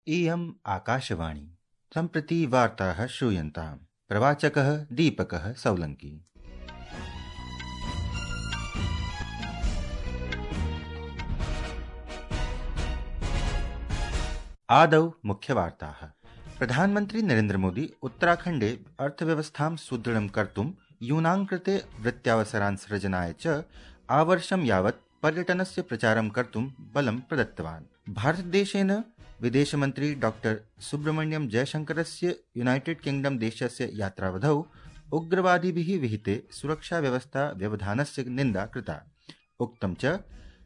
इयम् आकाशवाणी। सम्प्रति वार्ताः श्रूयन्ताम्। प्रवाचकः दीपकः सौलङ्की। आदौ मुख्यवार्ताः। प्रधानमन्त्री नरेन्द्र मोदी उत्तराखण्डे अर्थव्यवस्थां सुदृढं कर्तुं यूनां कृते वृत्त्यावसरान् सृजनाय च आवर्षं यावत् पर्यटनस्य प्रचारं कर्तुं बलं प्रदत्तवान्। भारतदेशेन विदेशमन्त्री डॉक्टर सुब्रह्मण्यम जयशंकरस्य यूनाइटेड किंगडम देशस्य यात्रावधौ उग्रवादिभिः विहिते सुरक्षाव्यवस्था व्यवधानस्य निन्दा कृता। उक्तं च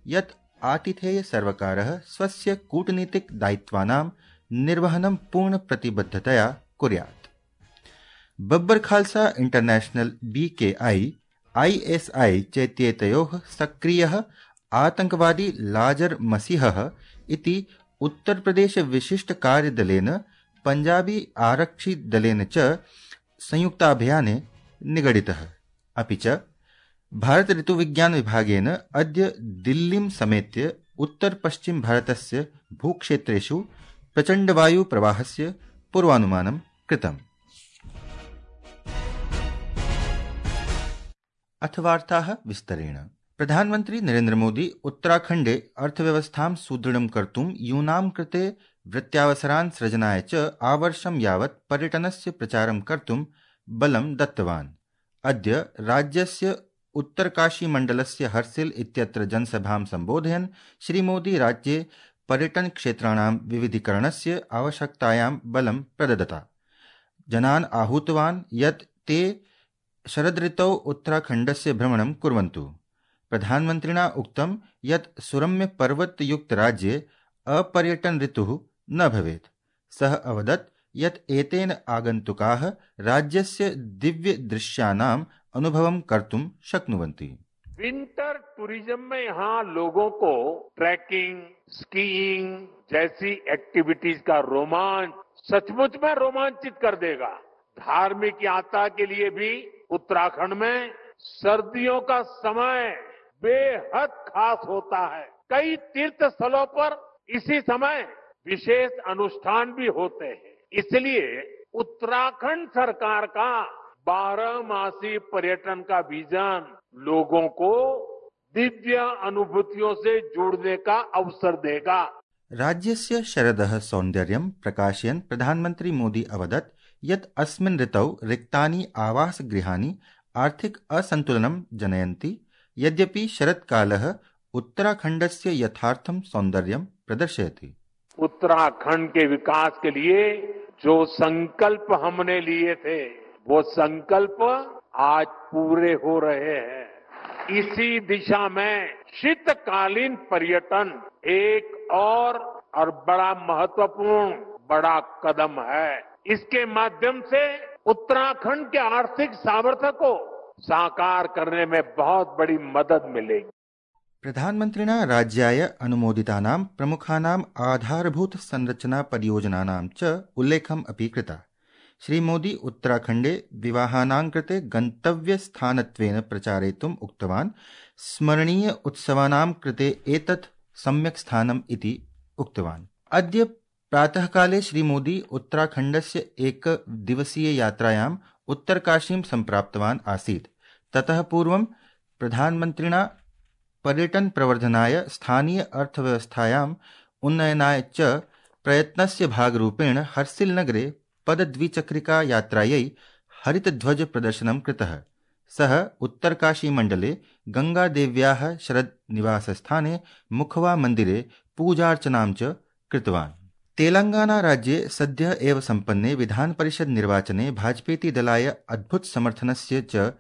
यत् आतिथेय सर्वकारः स्वस्य कूटनीतिक दायित्वानां निर्वहनं पूर्णप्रतिबद्धतया कुर्यात्। Babbar Khalsa international BKI ISI चेत्येतयोः सक्रियः आतंकवादी लाजर मसीहः इति उत्तर प्रदेश विशिष्ट कार्यदलेन पंजाबी आरक्षि दलेन च संयुक्ताभियाने निगडितः। अपि च भारत ऋतुविज्ञान विभागेन अद्य दिल्लीं समेत्य उत्तर पश्चिम भारतस्य भूक्षेत्रेषु प्रचण्डवायु प्रवाहस्य पूर्वानुमानं कृतम्। अथ वार्ताः विस्तरेण। प्रधानमन्त्री नरेन्द्र मोदी उत्तराखण्डे अर्थव्यवस्थां सुदृढं कर्तुं यूनां कृते वृत्त्यावसरान् सृजनाय च आवर्षं यावत् पर्यटनस्य प्रचारं कर्तुं बलं दत्तवान्। अद्य राज्यस्य उत्तरकाशीमण्डलस्य हर्सिल इत्यत्र जनसभां सम्बोधयन् श्रीमोदी राज्ये पर्यटनक्षेत्राणां विविधीकरणस्य आवश्यकतायां बलं प्रददता। जनान् आहूतवान् यत् ते शरदृतौ उत्तराखण्डस्य भ्रमणं कुर्वन्तु। प्रधानमन्त्रिणा उक्तं यत् सुरम्य पर्वतयुक्त राज्ये अपर्यटन ऋतुः न भवेत्। सः अवदत् यत् एतेन आगन्तुकाः राज्यस्य दिव्य दृश्यानाम् अनुभवं कर्तुं शक्नुवन्ति। विंटर टूरिज्म में यहाँ लोगों को ट्रैकिंग, स्कीइंग जैसी एक्टिविटीज का रोमांच सचमुच में रोमांचित कर देगा। धार्मिक यात्रा के लिए भी उत्तराखंड में सर्दियों का समय बेहद खास होता है। कई तीर्थ स्थलों पर इसी समय विशेष अनुष्ठान भी होते हैं। इसलिए उत्तराखंड सरकार का 12 मासी पर्यटन का विजन लोगों को दिव्य अनुभूतियों से जुड़ने का अवसर देगा। राज्यस्य शरदः सौन्दर्यं प्रकाशयन् प्रधानमन्त्री मोदी अवदत् यत् अस्मिन् ऋतौ रिक्तानि आवासगृहाणि आर्थिक असन्तुलनं जनयन्ति। यद्यपि शरत्कालः उत्तराखण्डस्य यथार्थं सौन्दर्यं प्रदर्शयति। उत्तराखंड के विकास के लिए जो संकल्प हमने लिए थे वो संकल्प आज पूरे हो रहे हैं। इसी दिशा में शीतकालीन पर्यटन एक और बड़ा महत्वपूर्ण बड़ा कदम है। इसके माध्यम से उत्तराखंड के आर्थिक सामर्थ्य को साकार करने में बहुत बड़ी मदद मिलेगी। प्रधानमन्त्रिणा राज्याय अनुमोदितानां प्रमुखानाम् आधारभूत संरचना परियोजनानां च उल्लेखम् अपि कृता। श्रीमोदी उत्तराखण्डे विवाहानां कृते गन्तव्यस्थानत्वेन प्रचारयितुम् उक्तवान्। स्मरणीय उत्सवानां कृते एतत् सम्यक् स्थानम् इति उक्तवान्। अद्य प्रातःकाले श्रीमोदी उत्तराखण्डस्य एकदिवसीय यात्रायाम् उत्तरकाशीं सम्प्राप्तवान् आसीत्। ततः पूर्वं प्रधानमन्त्रिणा पर्यटन प्रवर्धनाय स्थानीय अर्थव्यवस्थायाम् उन्नयनाय च प्रयत्नस्य भागरूपेण हर्सिल नगरे पदद्विचक्रिका यात्रायै हरितध्वज प्रदर्शनं कृतः। सः उत्तरकाशीमण्डले गंगादेव्याः शरद निवासस्थाने मुखवा मन्दिरे पूजार्चनां च कृतवान्। तेलंगाना राज्ये सद्यः एव सम्पन्ने विधान परिषद निर्वाचने भाजपेति दलाय अद्भुत समर्थनस्य च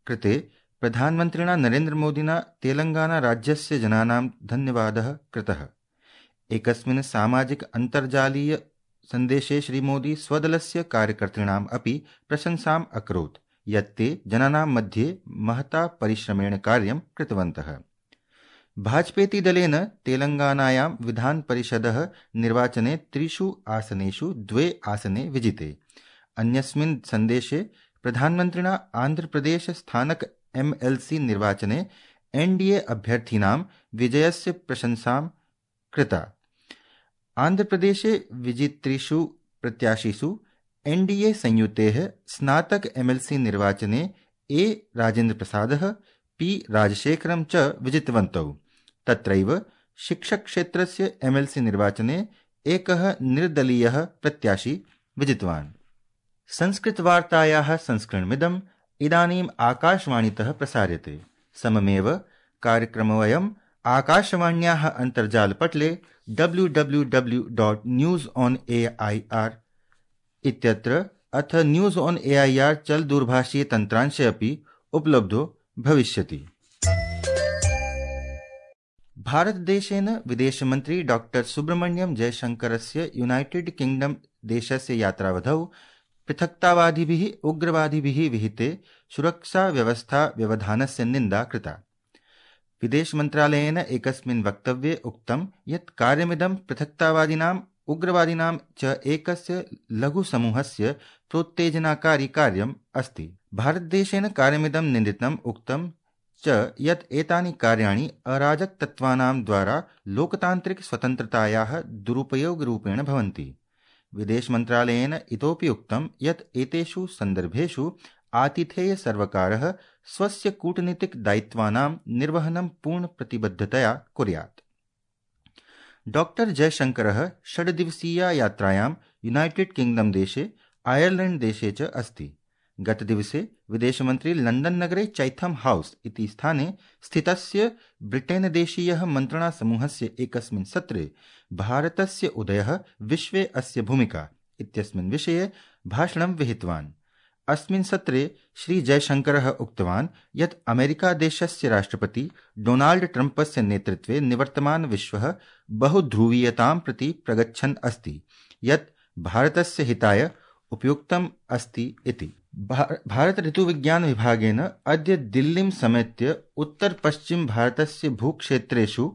कृते प्रधानमन्त्रिणा नरेन्द्र मोदिना तेलंगाना राज्यस्य जनानां धन्यवादः कृतः। एकस्मिन् सामाजिक अन्तर्जालीय सन्देशे श्रीमोदी स्वदलस्य कार्यकर्तॄणाम् अपि प्रशंसाम् अकरोत् यत् ते जनानां मध्ये महता परिश्रमेण कार्यं कृतवन्तः। भाजपेति दलेन तेलंगानायां विधान परिषदः निर्वाचने 3 आसनेषु 2 आसने विजिते। अन्यस्मिन् सन्देशे प्रधानमन्त्रिणा आंध्र प्रदेश स्थानक MLC निर्वाचने NDA अभ्यर्थीनां विजयस्य प्रशंसां कृता। आन्ध्रप्रदेशे विजित्रिषु प्रत्याशिषु एनडीए संयुतेः स्नातक एमएलसी निर्वाचने ए राजेन्द्रप्रसादः पी राजशेखरं च विजितवन्तौ। तत्रैव शिक्षकक्षेत्रस्य एमएलसी निर्वाचने एकः निर्दलीयः प्रत्याशी विजितवान्। संस्कृतवार्तायाः संस्करणमिदम् इदानीम् आकाशवाणीतः प्रसार्यते। सममेव कार्यक्रमोऽयम् आकाशवाण्याः अन्तर्जालपटले www.newsonair इत्यत्र अथ न्यूज ऑन एआईआर चल दूरभाषीय तन्त्रांशे अपि उपलब्धो भविष्यति। भारतदेशेन विदेशमन्त्री डॉक्टर सुब्रह्मण्यम जयशंकरस्य यूनाइटेड किंगडम देशस्य यात्रावधौ पृथक्तावादिभिः उग्रवादिभिः विहिते सुरक्षा व्यवस्था व्यवधानस्य निन्दा कृता। विदेशमन्त्रालयेन एकस्मिन् वक्तव्ये उक्तं यत् कार्यमिदं पृथक्तावादिनाम् उग्रवादिनां च एकस्य लघुसमूहस्य प्रोत्तेजनाकारी कार्यम् अस्ति। भारतदेशेन कार्यमिदं निन्दितम् उक्तं च यत् एतानि कार्याणि अराजकतत्त्वानां द्वारा लोकतान्त्रिक स्वतन्त्रतायाः दुरुपयोगरूपेण भवन्ति। विदेशमन्त्रालयेन इतोपि उक्तं यत् एतेषु सन्दर्भेषु आतिथेयसर्वकारः स्वस्य कूटनीतिकदायित्वानां निर्वहनं पूर्णप्रतिबद्धतया कुर्यात्। डॉक्टर जयशंकरः 6 दिवसीया यात्रायां यूनाइटेड किंगडम देशे आयरलैंड देशे च अस्ति। गतदिवसे विदेशमन्त्री लंडन नगरे चैथम हाउस इति स्थाने स्थितस्य ब्रिटेन देशीयः मन्त्रणासमूहस्य एकस्मिन् सत्रे भारतस्य उदयः विश्वे अस्य भूमिका इत्यस्मिन् विषये भाषणं विहितवान्। अस्मिन् सत्रे श्री जयशंकरः उक्तवान् यत् अमेरिका देशस्य राष्ट्रपति डोनाल्ड ट्रम्पस्य नेतृत्वे निवर्तमान विश्वः बहुध्रुवीयतां प्रति प्रगच्छन् अस्ति, यत् भारतस्य हिताय उपयुक्तम् अस्ति इति। भारत ऋतुविज्ञान विभागेन अद्य दिल्लीं समेत्य उत्तर पश्चिम भारतस्य भूक्षेत्रेषु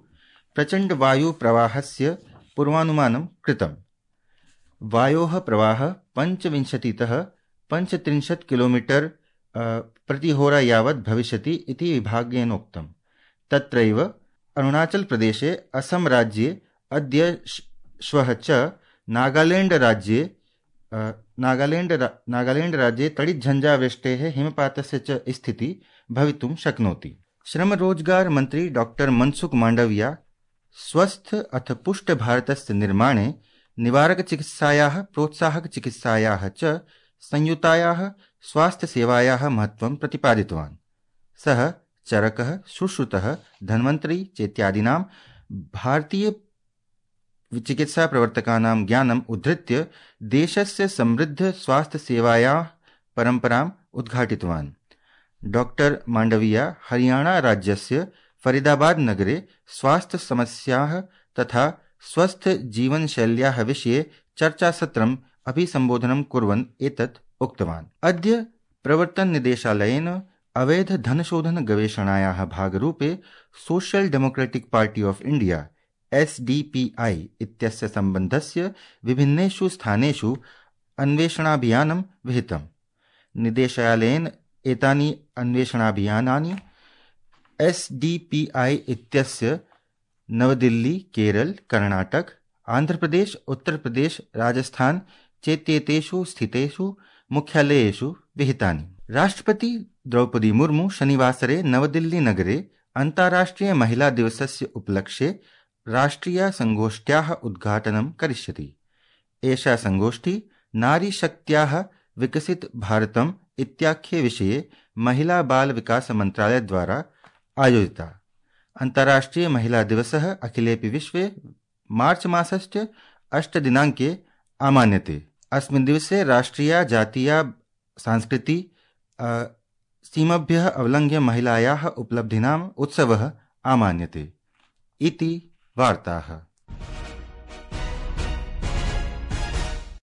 प्रचण्ड वायु प्रवाहस्य पूर्वानुमानं कृतम्। वायोः प्रवाहः 25 किलोमीटर प्रतिहोरा यावत् भविष्यति इति विभागेन उक्तम्। तत्रैव अरुणाचल प्रदेशे, असम राज्ये अद्य श्वः च नागालैंड राज्ये तडिज्झञ्झावृष्टेः हिमपातस्य च स्थितिः भवितुं शक्नोति। श्रम रोजगार मंत्री डॉक्टर मनसुख मांडविया स्वस्थ अथ पुष्ट भारतस्य निर्माणे निवारक चिकित्सायाः प्रोत्साहक चिकित्सायाः च संयुतायाः स्वास्थ्य सेवायाः महत्त्वं प्रतिपादितवान्। सः चरकः, सुश्रुतः, धन्वन्तरी चेत्यादीनां भारतीय चिकित्सा प्रवर्तकानां ज्ञानम् उद्धृत्य देशस्य समृद्ध स्वास्थ्य सेवायाः परम्पराम् उद्घाटितवान्। डॉक्टर मांडविया हरियाणा राज्यस्य फरीदाबाद नगरे स्वास्थ्य समस्याः तथा स्वस्थ जीवनशैल्याः विषये चर्चासत्रम् अभिसम्बोधनं कुर्वन् एतत् उक्तवान्। अद्य प्रवर्तन निदेशालयेन अवैध धनशोधन गवेषणायाः भागरूपे social democratic party of India SDPI इत्यस्य सम्बन्धस्य विभिन्नेषु स्थानेषु अन्वेषणाभियानं विहितम्। निदेशालयेन एतानि अन्वेषणाभियानानि SDPI इत्यस्य नवदिल्ली, केरल, कर्णाटक, आंध्रप्रदेश, उत्तर प्रदेश, राजस्थान चेत्येतेषु स्थितेषु मुख्यालयेषु विहितानि। राष्ट्रपति द्रौपदी मुर्मू शनिवासरे नवदिल्ली नगरे अन्ताराष्ट्रिय महिला दिवसस्य उपलक्ष्ये राष्ट्रिय संगोष्ठ्याः उद्घाटनं करिष्यति। एषा संगोष्ठी नारीशक्त्याः विकसित भारतम् इत्याख्ये विषये महिला बाल विकास मन्त्रालयद्वारा आयोजिता। अन्ताराष्ट्रिय महिला दिवसः अखिलेऽपि विश्वे मार्च मासस्य 8 दिनाङ्के आमान्यते। अस्मिन् दिवसे राष्ट्रिया जातीया सांस्कृति सीमभ्यः अवलङ्घ्य महिलायाः उपलब्धीनाम् उत्सवः आमान्यते इति वार्ताः।